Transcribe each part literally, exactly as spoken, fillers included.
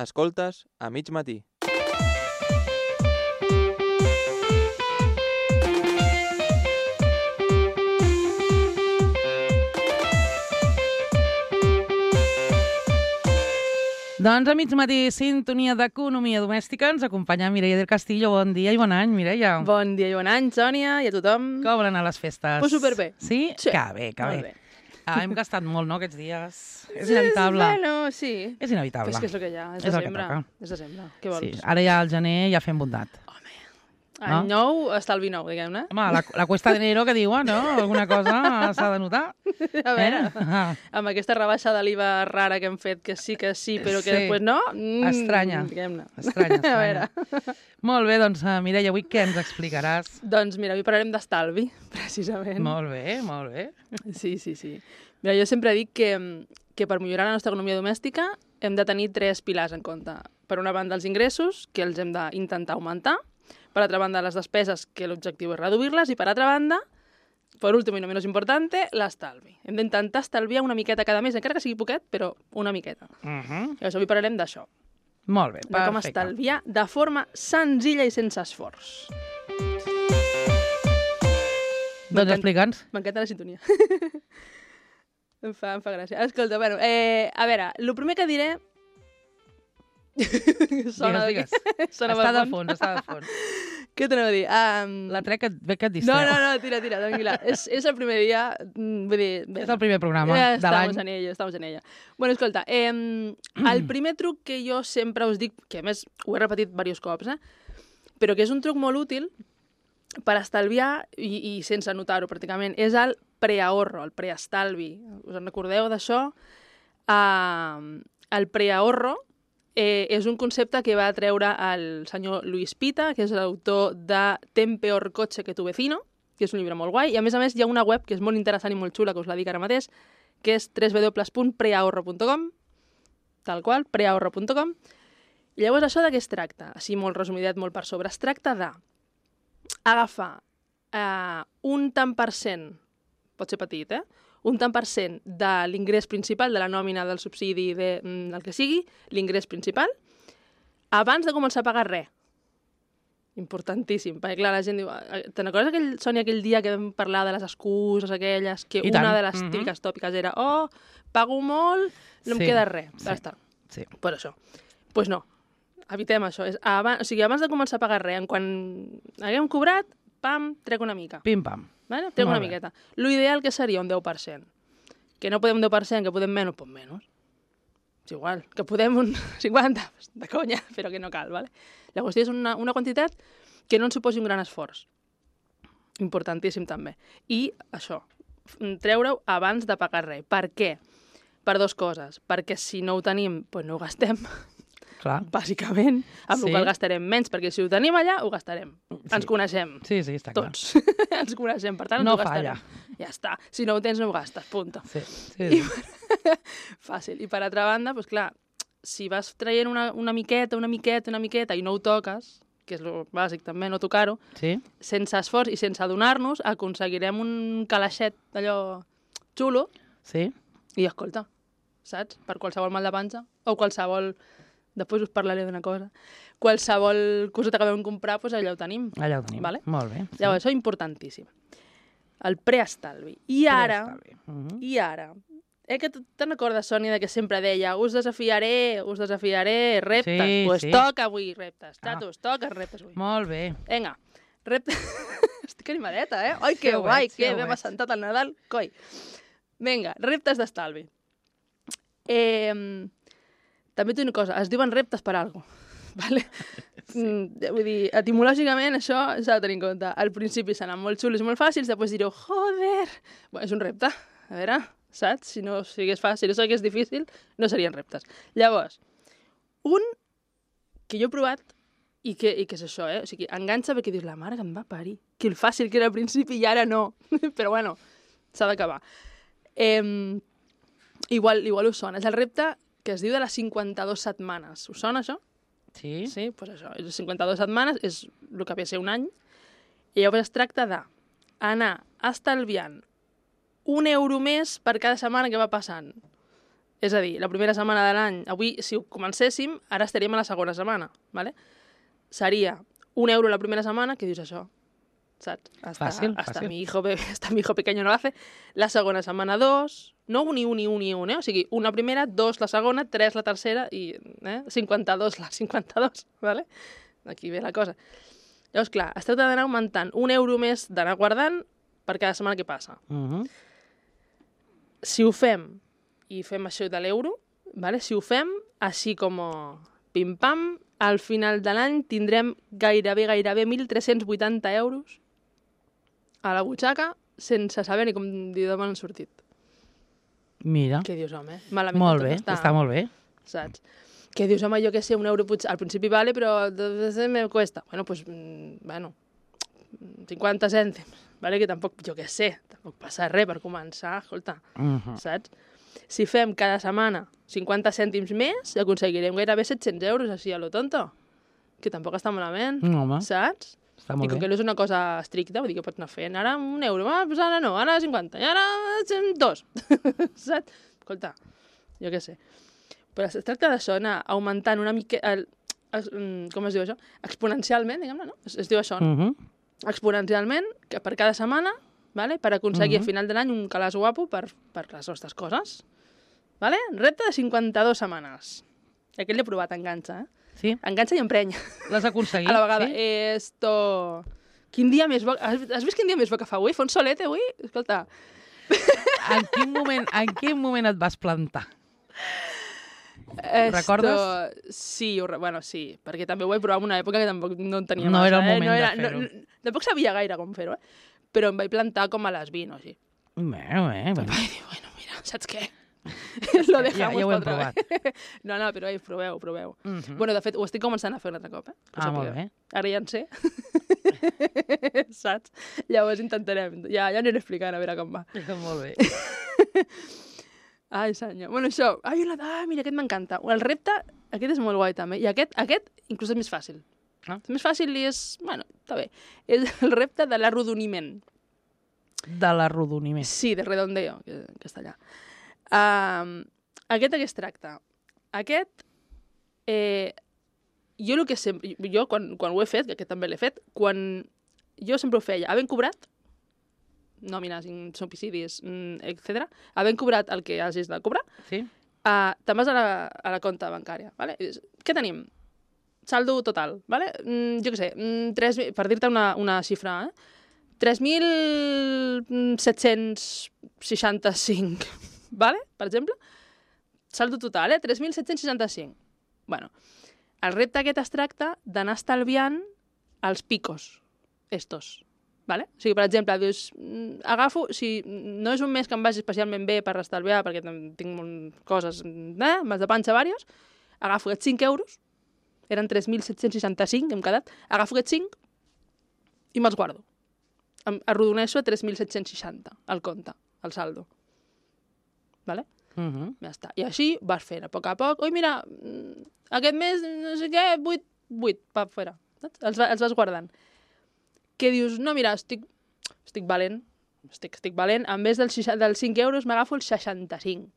Escoltes a mig matí. Doncs a mig matí, sintonia d'economia domèstica, ens acompanya Mireia del Castillo. Bon dia i bon any, Mireia. Bon dia i bon any, Sònia, i a tothom. Com van anar les festes? Pues superbé. Sí? Sí. Que bé, que Molt bé. bé. Ah, hem gastat molt, no, aquests dies? És inevitable. Bueno, sí. És inevitable. Però és que és el que hi ha, és És el que desembre. toca. És desembre, què vols? Sí, ara ja al gener ja fem bondat. Any nou, estalvi nou, diguem-ne. Home, la, la cuesta d'enero que diuen, no? Alguna cosa s'ha de notar. A veure, Eh? amb aquesta rebaixa de l'I V A rara que hem fet, que sí que sí, però que Sí. després no... Mm, Estranya. Diguem-ne. Estranya, A estranya. veure. Molt bé, doncs, uh, Mireia, avui què ens explicaràs? Doncs mira, avui parlarem d'estalvi, precisament. Molt bé, molt bé. Sí, sí, sí. Mira, jo sempre dic que, que per millorar la nostra economia domèstica hem de tenir tres pilars en compte. Per una banda, els ingressos, que els hem d'intentar augmentar. Per altra banda, les despeses, que l'objectiu és reduir-les. I per altra banda, per últim i no menys importante, l'estalvi. Hem d'intentar estalviar una miqueta cada mes, encara que sigui poquet, però una miqueta. Uh -huh. Llavors, avui parlarem d'això. Molt bé, De com perfecte. estalviar de forma senzilla i sense esforç. Doncs explica'ns. M'encanta la sintonia. em, fa, em fa gràcia. Escolta, bueno, eh, a veure, el primer que diré... Sona Digues, d'aquí. Sona Està pel de fons, està de fons. Què t'anava a dir? Um... La trec que, ve que et No, distreu. no, no, tira, tira, tranquil·la. és, és el primer dia, mm, vull dir... Bé, És el primer programa ja de l'any. estamos en ella, estamos en ella. Bueno, escolta, eh, el primer truc que jo sempre us dic, que a més ho he repetit diversos cops, eh, però que és un truc molt útil per estalviar, i, i sense notar-ho pràcticament, és el preahorro, el preestalvi. Us en recordeu d'això? Uh, el preahorro eh, és un concepte que va treure el senyor Luis Pita, que és l'autor de Ten peor coche que tu vecino, que és un llibre molt guai, i a més a més hi ha una web que és molt interessant i molt xula, que us la dic ara mateix, que és w w w punt preahorro punt com, tal qual, preahorro punt com. I llavors això de què es tracta? Així molt resumidet, molt per sobre. Es tracta de agafar eh, un tant per cent, pot ser petit, eh? un tant per cent de l'ingrés principal, de la nòmina, del subsidi, de, mm, del que sigui, l'ingrés principal, abans de començar a pagar res. Importantíssim, perquè clar, la gent diu... Te'n recordes, aquell, Sònia, aquell dia que vam parlar de les excuses aquelles, que I una tant. de les Mhm. típiques tòpiques era oh, pago molt, no em Sí, queda res. sí. Ja està. Sí. Per això. Doncs pues no, evitem això. És abans, o sigui, abans de començar a pagar res, en quan haguem cobrat, pam, trec una mica. Pim-pam. Vale? Trec Molt una bé. miqueta. L'ideal que seria un deu per cent. Que no podem un deu per cent, que podem menys, doncs menys. És igual. Que podem un cinquanta, pues, de conya, però que no cal, vale? La qüestió és una, una quantitat que no ens suposi un gran esforç. Importantíssim també. I això, treure-ho abans de pagar res. Per què? Per dues coses. Perquè si no ho tenim, doncs no ho gastem, Clar. bàsicament, amb Sí. el qual gastarem menys, perquè si ho tenim allà, ho gastarem. Sí. Ens coneixem. Sí, sí, està clar. Tots. Ens coneixem, per tant, No ens ho gastarem. falla. Ja està. Si no ho tens, no ho gastes, punto. Sí, sí, sí. Fàcil. I per altra banda, doncs clar, si vas traient una, una miqueta, una miqueta, una miqueta i no ho toques, que és el bàsic també, no tocar-ho, Sí? sense esforç i sense adonar-nos, aconseguirem un calaixet d'allò xulo Sí? i, escolta, saps? Per qualsevol mal de panxa o qualsevol... Després us parlaré d'una cosa. Qualsevol coseta que vam comprar, doncs allà ho tenim. Allà ho tenim. Vale? Molt bé. Sí. Llavors, això és importantíssim. El preestalvi. I ara, Preestalvi. Mhm. i ara, eh, que tu te'n recordes, Sònia, de que sempre deia us desafiaré, us desafiaré, reptes. Sí, Doncs pues sí. toca avui reptes. Ah. Xatos, toca reptes avui. Molt bé. Vinga, reptes... Estic animadeta, eh? Ai, que Sí ho guai, veig, sí que ho m'hem veig. assentat al Nadal, coi. Vinga, reptes d'estalvi. Eh, també tinc una cosa, es diuen reptes per alguna cosa. Vale? Sí. Mm, vull dir, etimològicament això s'ha de tenir en compte. Al principi seran molt xulos i molt fàcils, després direu, joder, bueno, és un repte. A veure, saps? Si no sigués fàcil, si no sigués difícil, no serien reptes. Llavors, un que jo he provat i que, i que és això, eh? O sigui, enganxa perquè dius, la mare que em va parir. Que el fàcil que era al principi i ara no. Però bueno, s'ha d'acabar. Eh, igual, igual us sona. És el repte que es diu de les cinquanta-dues setmanes. Us sona això? Sí? Sí, doncs pues això. Les cinquanta-dues setmanes és el que ve a ser un any. I llavors es tracta d'anar estalviant un euro més per cada setmana que va passant. És a dir, la primera setmana de l'any, avui, si ho comencéssim, ara estaríem a la segona setmana, ¿vale? Seria un euro la primera setmana, què dius això? Saps? Hasta, Fàcil, hasta fàcil. Mi hijo, hasta mi hijo pequeño no lo hace. La segona setmana, dos. No un i un i un i un, eh? O sigui, una primera, dos la segona, tres la tercera i eh? cinquanta-dos la cinquanta-dos, ¿vale? Aquí ve la cosa. Llavors, clar, es tracta d'anar augmentant un euro més d'anar guardant per cada setmana que passa. Uh -huh. Si ho fem, i fem això de l'euro, ¿vale? Si ho fem, així com pim-pam, al final de l'any tindrem gairebé, gairebé mil tres-cents vuitanta euros a la butxaca sense saber ni com dir d'on han sortit. Mira, Què dius, home? Malament molt tot bé, està molt bé. Saps? Què dius, home, jo què sé, un euro potser, al principi vale, però me cuesta. Bueno, pues, mm, bueno, cinquanta cèntims, vale? Que tampoc, jo què sé, tampoc passa res per començar, escolta, Uh -huh. saps? Si fem cada setmana cinquanta cèntims més, aconseguirem gairebé set-cents euros, així a lo tonto. Que tampoc està malament, No, home, saps? està I molt com que bé. no és una cosa estricta, vull dir que pots anar fent ara un euro, ah, doncs ara no, ara cinquanta, i ara dos, saps? Escolta, jo què sé. Però es tracta d'això, anar augmentant una mica... El, es, com es diu això? Exponencialment, diguem-ne, no? Es, es diu això, no? Uh -huh. Exponencialment, que per cada setmana, ¿vale? Per aconseguir Mhm. a final de l'any un calaç guapo per, per les nostres coses. ¿Vale? Repte de cinquanta-dues setmanes. Aquest l'he provat, enganxa, eh? Sí, Enganxa i emprenya. l'has aconseguit. A la vegada. Sí? Esto... Quin dia més bo... Has, has vist quin dia més bo que fa avui? Fa un solet, eh, avui? Escolta. En quin moment, en quin moment et vas plantar? Esto... Recordes? Sí, ho... re- bueno, sí, perquè també ho vaig provar en una època que tampoc no en tenia No massa. era el eh? moment no de era... fer-ho. No, no, tampoc sabia gaire com fer-ho, eh? Però em vaig plantar com a les vint o així. Bé, bé, bé. Vaig dir, bueno, mira, saps què? Lo dejamos ja, ja ho pa hem otra provat. vez. No, no, però ei, proveu, proveu. Uh -huh. Bueno, de fet, ho estic començant a fer un altre cop, eh? Que ho Ah, molt sapigueu. bé. Ara ja en sé. Saps? Llavors intentarem. Ja, ja aniré explicant a veure com va. Molt bé. Ai, senyor. Bueno, això. Ai, la... ah, mira, aquest m'encanta. El repte, aquest és molt guai també. I aquest, aquest inclús és més fàcil. Ah. És més fàcil i és... Bueno, està bé. És el repte de l'arrodoniment. De l'arrodoniment. Sí, de redondeo, que en castellà. Um, aquest de què es tracta? Aquest, eh, jo el que sempre... Jo, quan, quan ho he fet, que aquest també l'he fet, quan jo sempre ho feia, havent cobrat, nòmines, subsidis, etcètera, havent cobrat el que hagis de cobrar, Sí? uh, te'n vas a la, a la compta bancària. Vale? I dius, què tenim? Saldo total, vale? Mm, jo què sé, mm, tres, per dir-te una, una xifra, eh? tres mil set-cents seixanta-cinc, vale? Per exemple? Saldo total, eh? tres mil set-cents seixanta-cinc. Bueno, el repte aquest es tracta d'anar estalviant els picos, estos, vale? O sigui, per exemple, dius, mm, agafo, si no és un mes que em vagi especialment bé per estalviar, perquè tem- tinc un- coses, eh? Mas de panxa vàries, agafo aquests cinc euros, eren tres mil set-cents seixanta-cinc, hem quedat, agafo aquests cinc i me'ls guardo. Em arrodoneixo a tres mil set-cents seixanta, el compte, el saldo. Vale? Uh -huh. Ja està. I així vas fent, a poc a poc. Ui, mira, mm, aquest mes, no sé què, vuit, vuit, pa fora. Saps? Els, va- els vas guardant. Que dius, no, mira, estic, estic valent, estic, estic valent, en vez dels, seixanta dels cinc euros m'agafo els seixanta-cinc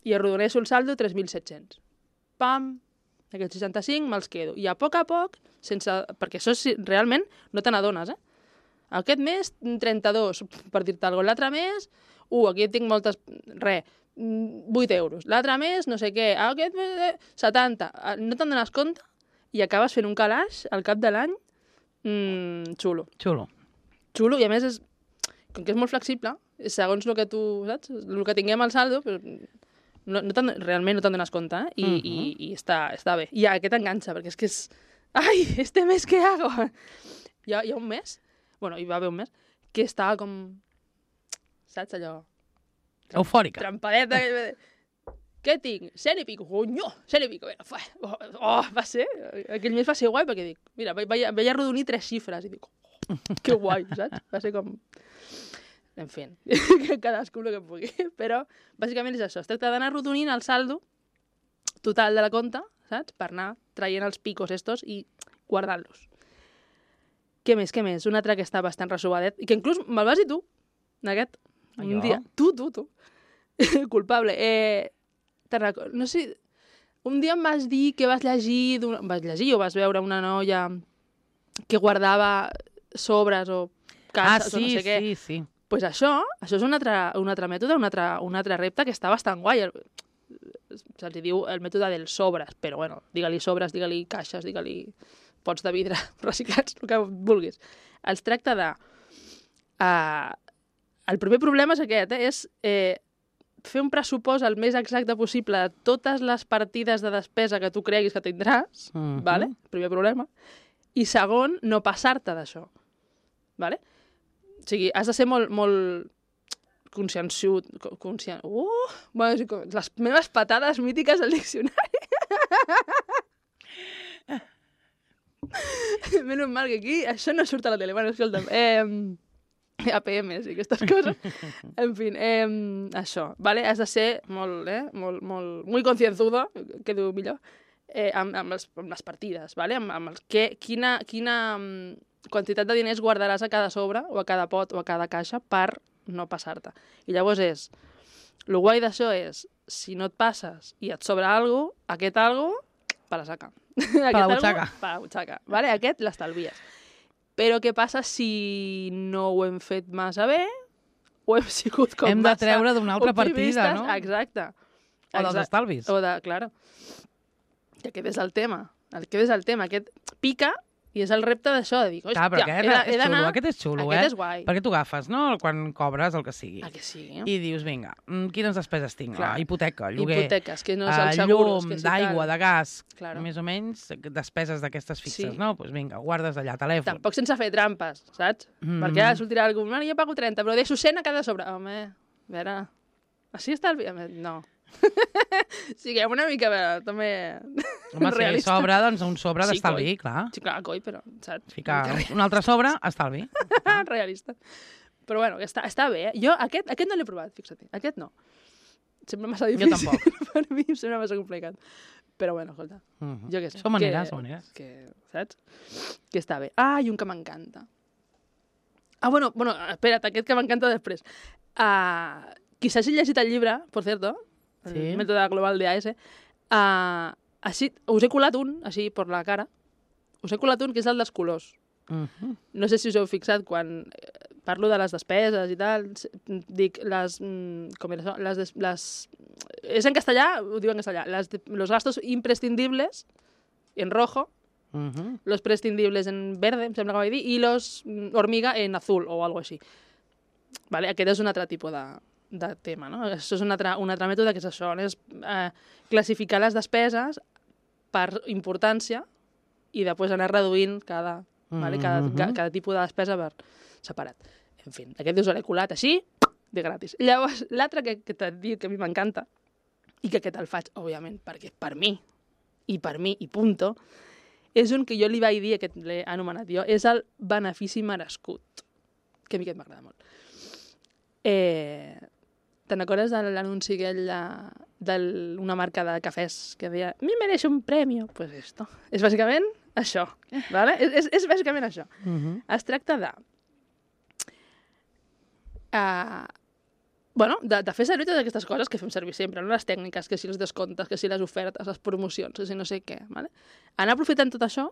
i arrodoneixo el saldo tres mil set-cents. Pam, aquests seixanta-cinc me'ls quedo. I a poc a poc, sense, perquè això sí, realment no te n'adones, eh? Aquest mes, trenta-dos, per dir-te alguna cosa. L'altre mes, uh, aquí tinc moltes... Re, vuit euros. L'altre mes, no sé què. Aquest mes, eh, setanta. No te'n dones compte i acabes fent un calaix al cap de l'any mmm, xulo. Xulo. Xulo, i a més, és, com que és molt flexible, segons el que tu, saps? El que tinguem al saldo, però no, no te'n- realment no te'n dones compte, eh? I, uh -huh. i, i està, està bé. I aquest enganxa, perquè és que és... Ai, este mes què hago? Hi ha, hi ha un mes, bueno, hi va haver un mes, que estava com... Saps, allò... Eufòrica. Trampadeta. Què tinc? cent i pico. Conyo, cent i pico. Vinga, fa. Oh, oh, va ser... Aquell mes va ser guai perquè dic... Mira, vaig, vaig arrodonir tres xifres i dic... Oh, que guai, saps? Va ser com... En fi, que cadascú el que pugui. Però, bàsicament és això. Es tracta d'anar arrodonint el saldo total de la compta, saps? Per anar traient els picos estos i guardant-los. Què més, què més? Un altre que està bastant resobadet i que inclús me'l vas dir tu, aquest. Un Jo? dia. Tu, tu, tu. Culpable. Eh, te'n recordo, no sé, un dia em vas dir que vas llegir, d'una- vas llegir o vas veure una noia que guardava sobres o Ah, caixes o sí, no sé què. sí, sí. Pues això, això és un altre, un altre mètode, un altre, un altre repte que està bastant guai. El- Se'ls diu el mètode dels sobres, però bueno, digue-li sobres, digue-li caixes, digue-li pots de vidre reciclats, el que vulguis. Es tracta de... Uh, el primer problema és aquest, eh? és eh, fer un pressupost el més exacte possible de totes les partides de despesa que tu creguis que tindràs, Mhm. vale? Primer problema. I segon, no passar-te d'això. Vale? O sigui, has de ser molt, molt conscienciut. co- Conscien... Uh! Bueno, sí, com- les meves patades mítiques al diccionari. Menys mal que aquí això no surt a la tele. Bueno, escolta'm, eh, A P Ms i aquestes coses. En fi, eh, això, vale? Has de ser molt, eh, molt, molt, muy concienzudo, que diu millor, eh, amb, amb, les, amb les partides, vale? amb, amb els, que, quina, quina mm, quantitat de diners guardaràs a cada sobre o a cada pot o a cada caixa per no passar-te. I llavors és, el guai d'això és, si no et passes i et sobra alguna cosa, aquest alguna cosa, per la saca. Per la butxaca. Per la butxaca, vale? Aquest l'estalvies. Però què passa si no ho hem fet massa bé o hem sigut com Hem de massa treure d'una altra partida, optimistes? no? Exacte. O dels Exacte. estalvis. O de, claro. I aquest és el tema. Aquest és el tema. Aquest pica i és el repte d'això, de dir, hòstia, Clar, però aquest he de- he és d'anar... xulo, aquest és xulo, Aquest eh? és guai. Perquè tu agafes, no?, quan cobres el que sigui. A que sí. I dius, vinga, mm, quines despeses tinc? Clar. La hipoteca, lloguer, Hipoteques, que no és eh, el seguros, llum, que si d'aigua, tal. de gas, Claro. més o menys despeses d'aquestes fixes, Sí. no? Doncs pues vinga, guardes allà, telèfon. Tampoc sense fer trampes, saps? Mhm. Perquè ara sortirà algú, no, jo pago trenta, però deixo cent a cada sobre. Home, a veure, així està el... No. Siguem una mica, a veure, també... Home, si hi sobra, doncs un sobre Sí, d'estalvi, coi. clar. Sí, clar, coi, però, saps? Ficar un altre sobre, estalvi. Realista. Però bueno, està, està bé, eh? Jo aquest, aquest no l'he provat, fixa't. Aquest no. Sembla massa Jo difícil. tampoc. Per mi em sembla massa complicat. Però bueno, escolta, Mhm. jo què sé. Són maneres, que, són maneres. Que, saps? Que està bé. Ah, i un que m'encanta. Ah, bueno, bueno, espera't, aquest que m'encanta després. Uh, qui s'hagi llegit el llibre, per cierto, el Sí. mètode global de A S, uh, així, us he colat un, així, per la cara, us he colat un que és el dels colors. Mhm. No sé si us heu fixat quan eh, parlo de les despeses i tal, s- dic les... mm, Com era això? Les, des, les... És en castellà, ho diu en castellà. Les, de- los gastos imprescindibles, en rojo, Mhm. los prescindibles en verde, em sembla que vaig dir, i los mm, hormiga en azul, o algo així. Vale? Aquest és un altre tipus de, de tema, no? Això és un altre, un altre mètode que és això, és eh, classificar les despeses per importància i després anar reduint cada, vale? cada, Mhm. ca, cada tipus de despesa per separat. En fi, aquest us l'he colat així, de gratis. Llavors, l'altre que, que t'he dit que a mi m'encanta, i que aquest el faig, òbviament, perquè per mi, i per mi, i punto, és un que jo li vaig dir, aquest l'he anomenat jo, és el benefici merescut, que a mi aquest m'agrada molt. Eh, Te'n recordes de l'anunci aquell d'una marca de cafès que deia mi mereixo un premi? Pues esto. És bàsicament això. Vale? És, és, és bàsicament això. Mhm. Es tracta de... Uh, bueno, de, de fer servir totes aquestes coses que fem servir sempre, no? Les tècniques, que si els descomptes, que si les ofertes, les promocions, que si no sé què. Vale? Anar aprofitant tot això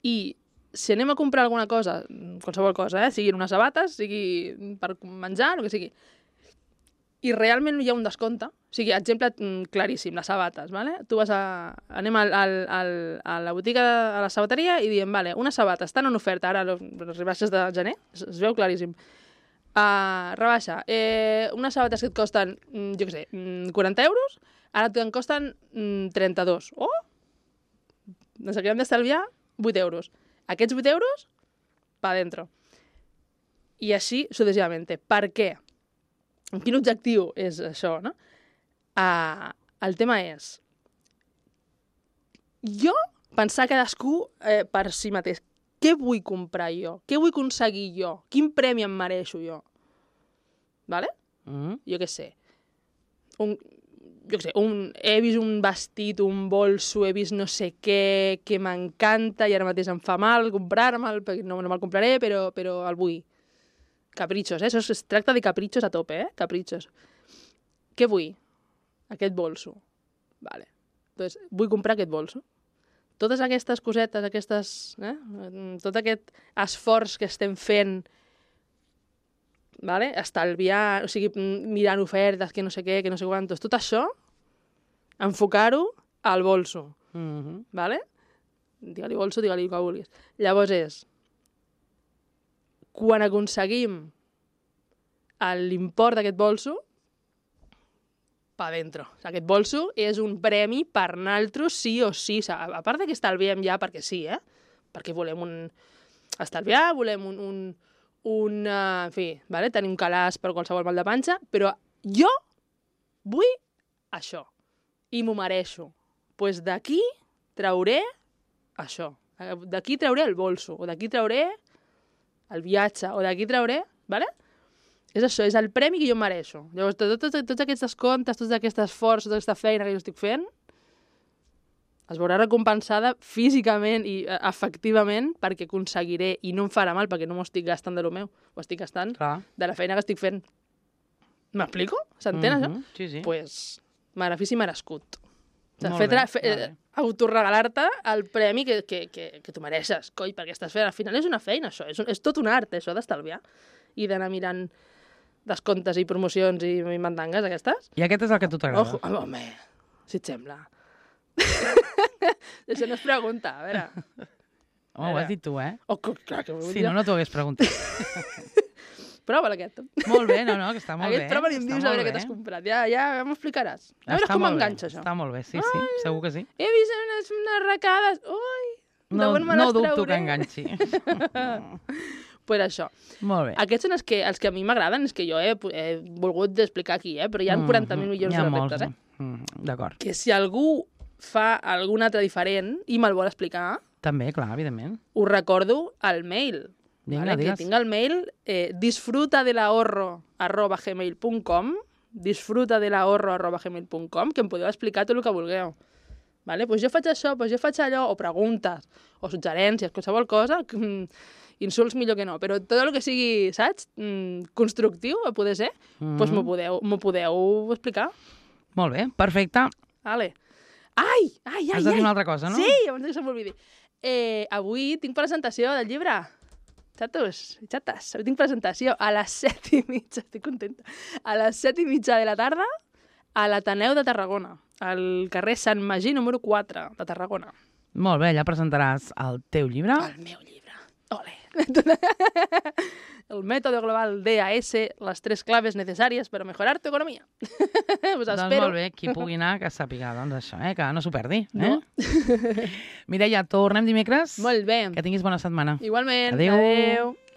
i si anem a comprar alguna cosa, qualsevol cosa, eh? Siguin unes sabates, sigui per menjar, el que sigui, i realment hi ha un descompte, o sigui, exemple mm, claríssim, les sabates, vale? Tu vas a... anem al, al, al, a la botiga, a la sabateria, i diem, vale, unes sabates estan en oferta, ara les les rebaixes de gener, es, es veu claríssim. Uh, rebaixa, eh, unes sabates que et costen, mm, jo què sé, mm, quaranta euros, ara te'n costen mm, trenta-dos. Oh! Ens acabem d'estalviar vuit euros. Aquests vuit euros, pa dentro. I així successivament. Per què? Quin objectiu és això, no? Uh, el tema és jo pensar cadascú eh, per si mateix. Què vull comprar jo? Què vull aconseguir jo? Quin premi em mereixo jo? Vale? Mhm. Jo què sé. Un, jo què sé, un, he vist un vestit, un bolso, he vist no sé què, que m'encanta i ara mateix em fa mal comprar-me'l, perquè no, no me'l compraré, però, però el vull. Capritxos, eh? Això es tracta de capritxos a tope, eh? Capritxos. Què vull? aquest bolso. Vale. Entonces, vull comprar aquest bolso. Totes aquestes cosetes, aquestes, eh? tot aquest esforç que estem fent, vale? Estalviar, o sigui, mirant ofertes, que no sé què, que no sé quantos, tot això, enfocar-ho al bolso. Mhm. Vale? Digue-li bolso, digue-li el que vulguis. Llavors és, quan aconseguim l'import d'aquest bolso, pa dentro. O sigui, aquest bolso és un premi per naltros sí o sí. O sigui, a part de que estalviem ja perquè sí, eh? Perquè volem un... estalviar, volem un... un, un uh, en fi, vale? Tenir un calaç per qualsevol mal de panxa, però jo vull això. I m'ho mereixo. Doncs pues d'aquí trauré això. D'aquí trauré el bolso, o d'aquí trauré el viatge, o d'aquí trauré... Vale? És això, és el premi que jo em mereixo. Llavors, tots, tots, tots aquests descomptes, tot aquest esforç, tota aquesta feina que jo estic fent, es veurà recompensada físicament i efectivament perquè aconseguiré, i no em farà mal perquè no m'ho estic gastant de lo meu, ho estic gastant Clar. de la feina que estic fent. M'explico? S'entén, Mhm, això? Sí, sí. Doncs, pues, benefici merescut. O sigui, Molt fer, bé, fe, molt bé. autoregalar-te el premi que, que, que, que tu mereixes, coi, perquè estàs fent. Al final és una feina, això. És, un, és tot un art, això, d'estalviar. I d'anar mirant descomptes i promocions i, i mandangues, aquestes. I aquest és el que a tu t'agrada. Ojo, home, si et sembla. Això no es pregunta, a veure. Home, ho has dit tu, eh? Oh, clar, que Si no, no t'ho hagués preguntat. Prova aquest. Molt bé, no, no, que està molt Aquest bé. prova i em està dius a molt veure què bé. t'has comprat. Ja, ja m'ho explicaràs. A veure Està com molt bé, m'enganxa, això. Està molt bé, sí, sí, segur que sí. He vist unes, unes arracades. Ui, de No, on me no les dubto trauré? que enganxi. Pues això. Molt bé. Aquests són els que, els que a mi m'agraden, és que jo he, he volgut explicar aquí, eh? Però hi ha quaranta mil milions N'hi ha de molts, reptes, eh? Mm, D'acord. Que si algú fa algun altre diferent i me'l vol explicar, També, clar, evidentment. us recordo el mail. Vinga, vale? Que digues. tinc el mail eh, disfrutadelahorro arroba gmail punt com disfrutadelahorro arroba gmail punt com que em podeu explicar tot el que vulgueu. Vale? Pues jo faig això, pues jo faig allò, o preguntes, o suggerències, qualsevol cosa, que, mm, insults millor que no, però tot el que sigui, saps, mm, constructiu, a poder ser, Mm. pues m'ho podeu, m'ho podeu explicar. Molt bé, perfecte. Vale. Ai, ai, ai, Has de dir ai. una altra cosa, no? Sí, abans que se m'oblidi. Eh, avui tinc presentació del llibre. Xatos, xates, avui tinc presentació a les set i mitja, estic contenta, a les set i mitja de la tarda a l'Ateneu de Tarragona, al carrer Sant Magí número quatre de Tarragona. Molt bé, ja presentaràs el teu llibre. El meu llibre. Ole. El método global D A S, las tres claves necesarias para mejorar tu economía. Us Doncs espero. molt bé, qui pugui anar, que sàpiga, doncs això, eh? Que no s'ho perdi. Eh? No? Mireia, tornem dimecres. Molt bé. Que tinguis bona setmana. Igualment. Adéu. Adéu.